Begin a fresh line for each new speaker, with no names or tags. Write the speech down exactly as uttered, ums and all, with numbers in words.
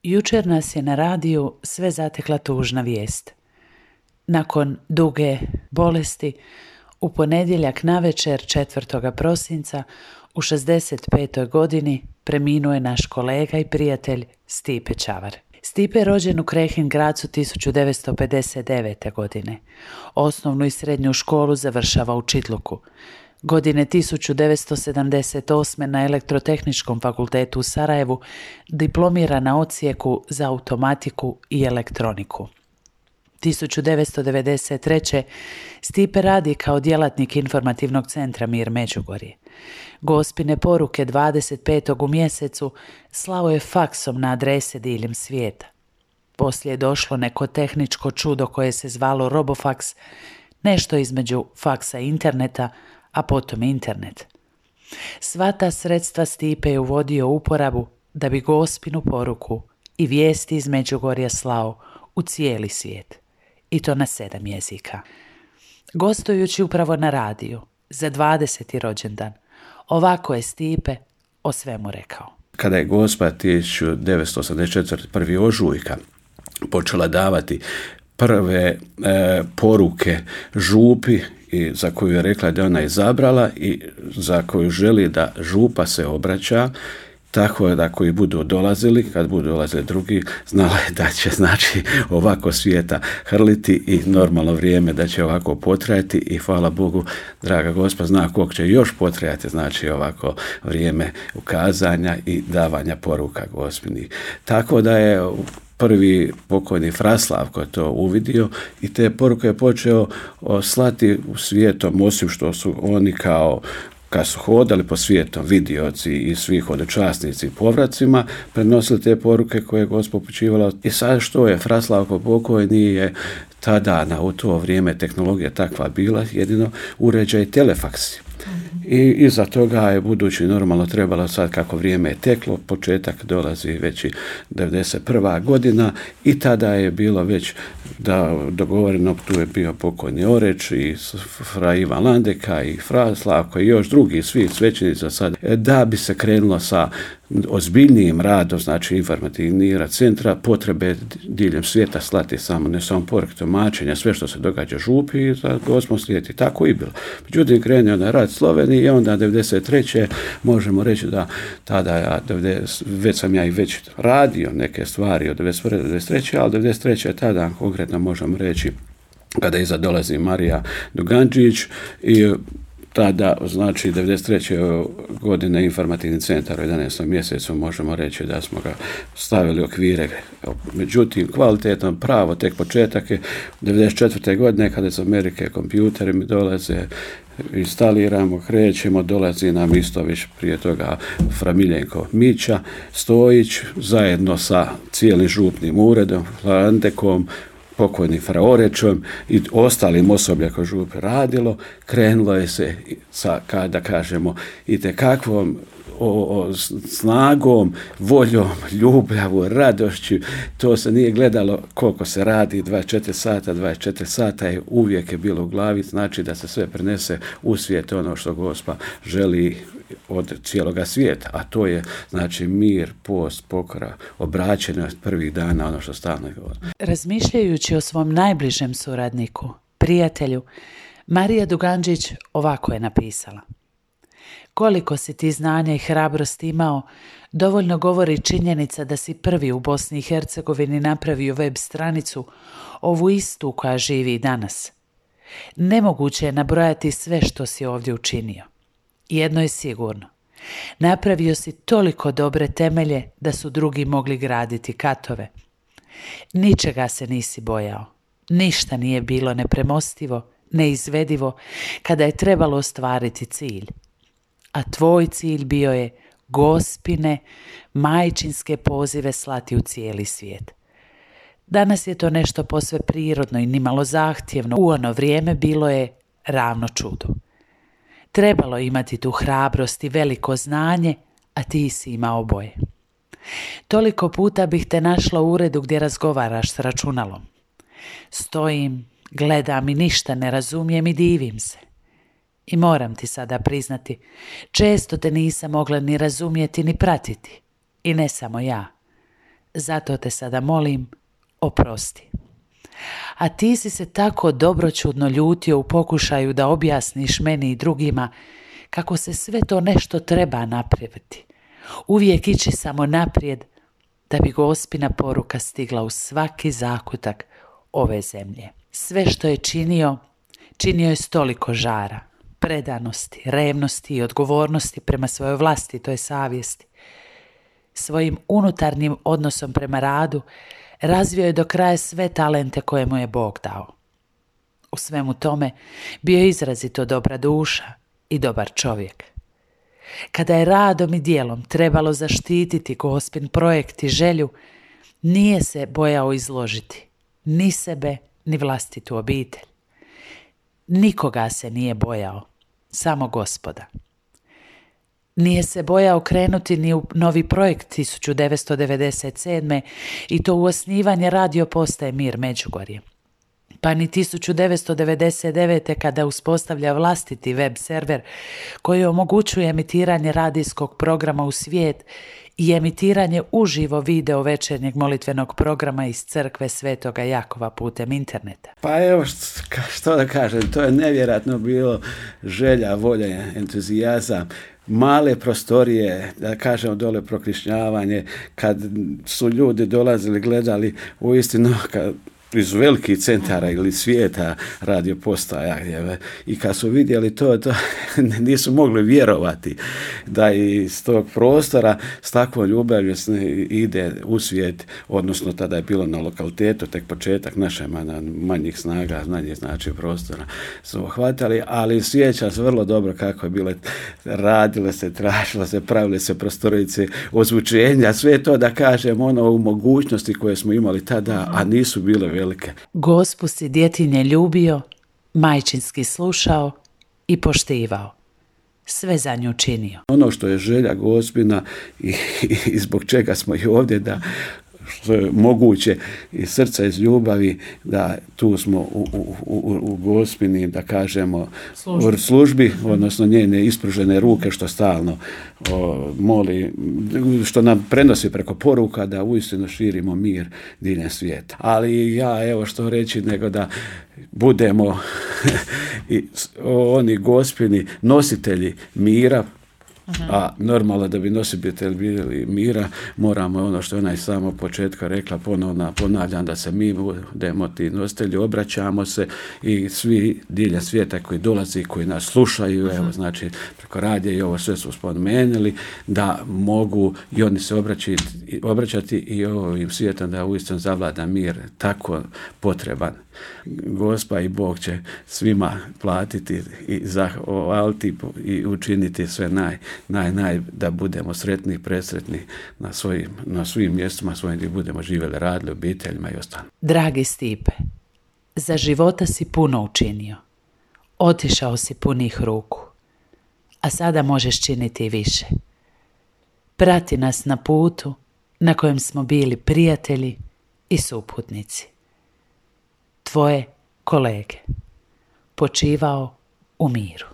Jučer nas je na radiju sve zatekla tužna vijest. Nakon duge bolesti, u ponedjeljak navečer četvrtog prosinca u šezdeset petoj godini preminuo je naš kolega i prijatelj Stipe Čavar. Stipe je rođen u Krehin Gracu tisuću devetsto pedeset devete. godine. Osnovnu i srednju školu završava u Čitluku. Godine tisuću devetsto sedamdeset osme. na Elektrotehničkom fakultetu u Sarajevu diplomira na odsjeku za automatiku i elektroniku. tisuću devetsto devedeset treće. Stipe radi kao djelatnik informativnog centra Mir Međugorje. Gospine poruke dvadeset petog u mjesecu slao je faksom na adrese diljem svijeta. Poslije je došlo neko tehničko čudo koje se zvalo Robofaks, nešto između faksa i interneta, a potom internet. Sva ta sredstva Stipe je uvodio u uporabu da bi gospinu poruku i vijesti iz Međugorja slao u cijeli svijet. I to na sedam jezika. Gostujući upravo na radiju za dvadeseti rođendan, ovako je Stipe o svemu rekao.
Kada je Gospa tisuću devetsto osamdeset četvrte. prvi ožujka počela davati prve e, poruke župi i za koju je rekla da ona izabrala i za koju želi da župa se obraća, tako da koji budu dolazili, kad budu dolazili drugi, znala je da će znači ovako svijeta hrliti i normalno vrijeme da će ovako potrajati i hvala Bogu, draga Gospa zna koliko će još potrajati, znači ovako vrijeme ukazanja i davanja poruka Gospinih. Tako da je prvi pokojni Fraslavko to uvidio i te poruke je počeo slati u svijetom, osim što su oni kao kad su hodali po svijetom vidioci i svi hodočasnici i povracima, prenosili te poruke koje je Gospa upućivala. I sad što je Fraslavko pokojni je tada na u to vrijeme tehnologija takva bila, jedino uređaj telefaksi. I iza toga je budući normalno trebalo sad kako vrijeme je teklo, početak dolazi već i devedeset prva. godina i tada je bilo već da dogovoreno, tu je bio pokojni Oreć i fra Ivan Landeka i fra Slavko i još drugi svi svećenici sad, da bi se krenulo sa ozbiljnijim radom, znači informativni rad centra, potrebe diljem svijeta slati samo, ne samo poruke tumačenja, sve što se događa župi i za Gospu slijeti. Tako i bilo. Međutim, krenuo na rad Sloveniji i onda devedeset treće možemo reći da tada ja, već sam ja i već radio neke stvari od devedeset prve do devedeset treće ali devedeset treće tada konkretno možemo reći kada iza dolazi Marija Duganđić i tada, znači, devedeset treće. godine informativni centar u jedanaestom mjesecu možemo reći da smo ga stavili okvire. Međutim, kvalitetan pravo, tek početak je devedeset četvrte. godine kada iz Amerike kompjuteri mi dolaze, instaliramo, krećemo, dolazi nam isto već prije toga fra Miljenko Mića Stojić, zajedno sa cijelim župnim uredom, Landekom, pokojnim fra Orečom i ostalim osoblja koje župe radilo, krenulo je se sa, kada kažemo, itekakvom o, o, snagom, voljom, ljubavu, radošću. To se nije gledalo koliko se radi, dvadeset četiri sata, dvadeset četiri sata je uvijek je bilo u glavi, znači da se sve prenese u svijet ono što Gospa želi od cijeloga svijeta, a to je znači mir, post, pokora, obraćenost prvih dana, ono što stalno govori.
Razmišljajući o svom najbližem suradniku, prijatelju, Marija Duganđić ovako je napisala: koliko si ti znanja i hrabrosti imao, dovoljno govori činjenica da si prvi u Bosni i Hercegovini napravio web stranicu, ovu istu koja živi i danas. Nemoguće je nabrojati sve što si ovdje učinio. Jedno je sigurno. Napravio si toliko dobre temelje da su drugi mogli graditi katove. Ničega se nisi bojao. Ništa nije bilo nepremostivo, neizvedivo kada je trebalo ostvariti cilj. A tvoj cilj bio je Gospine, majčinske pozive slati u cijeli svijet. Danas je to nešto posve prirodno i nimalo zahtjevno. U ono vrijeme bilo je ravno čudu. Trebalo imati tu hrabrost i veliko znanje, a ti si imao oboje. Toliko puta bih te našla u uredu gdje razgovaraš s računalom. Stojim, gledam i ništa ne razumijem i divim se. I moram ti sada priznati, često te nisam mogla ni razumjeti ni pratiti. I ne samo ja. Zato te sada molim, oprosti. A ti si se tako dobroćudno ljutio u pokušaju da objasniš meni i drugima kako se sve to nešto treba napraviti. Uvijek ići samo naprijed da bi Gospina poruka stigla u svaki zakutak ove zemlje. Sve što je činio, činio je s toliko žara, predanosti, revnosti i odgovornosti prema svojoj vlastitoj savjesti. Svojim unutarnjim odnosom prema radu razvio je do kraja sve talente koje mu je Bog dao. U svemu tome bio je izrazito dobra duša i dobar čovjek. Kada je radom i djelom trebalo zaštititi Gospin projekt i želju, nije se bojao izložiti ni sebe, ni vlastitu obitelj. Nikoga se nije bojao, samo Gospoda. Nije se bojao krenuti ni u novi projekt tisuću devetsto devedeset sedme i to u osnivanje radio postaje Mir Međugorje. Pa ni tisuću devetsto devedeset devete kada uspostavlja vlastiti web server koji omogućuje emitiranje radijskog programa u svijet i emitiranje uživo video večernjeg molitvenog programa iz crkve Svetoga Jakova putem interneta.
Pa evo što, što da kažem, to je nevjerojatno bilo želja, volja, entuzijazam. Male prostorije, da kažemo dole prokrišnjavanje, kad su ljudi dolazili, gledali uistinu kad iz velikih centara ili svijeta radio postaja i kad su vidjeli to, to nisu mogli vjerovati da iz tog prostora s takvom ljubavlju ide u svijet, odnosno tada je bilo na lokalitetu, tek početak naše manjih snaga, manje znači prostora su hvatali, ali sjeća se vrlo dobro kako je bilo, radilo se, tražilo se, pravile se prostorice, ozvučenja, sve to da kažem ono u mogućnosti koje smo imali tada, a nisu bile velike.
Gospu si djetinje ljubio, majčinski slušao i poštivao. Sve za nju činio.
Ono što je želja Gospina i, i zbog čega smo i ovdje, da što je moguće iz srca, iz ljubavi, da tu smo u, u, u, u Gospini, da kažemo, službi, službi odnosno njene ispružene ruke što stalno o, moli, što nam prenosi preko poruka da uistinu širimo mir diljem svijeta. Ali ja, evo što reći, nego da budemo i oni Gospini nositelji mira. A normalno da bi nositelji bili mira, moramo ono što je ona i samo početka rekla, ponovno ponavljam, da se mi budemo ti nositelji, obraćamo se i svi diljem svijeta koji dolazi, koji nas slušaju, uh-huh. evo znači preko radija i ovo sve su spomenuli, da mogu i oni se obraćati, obraćati i ovim svijetom da uistinu zavlada mir, tako potreban. Gospa i Bog će svima platiti i zahvaliti i učiniti sve naj, naj, naj, da budemo sretni i presretni na svojim, na svim mjestima svojim gdje budemo živjeli, radili, obiteljima i ostalo.
Dragi Stipe, za života si puno učinio. Otišao si punih ruku, a sada možeš činiti i više. Prati nas na putu na kojem smo bili prijatelji i suputnici. Tvoje kolege. Počivao u miru.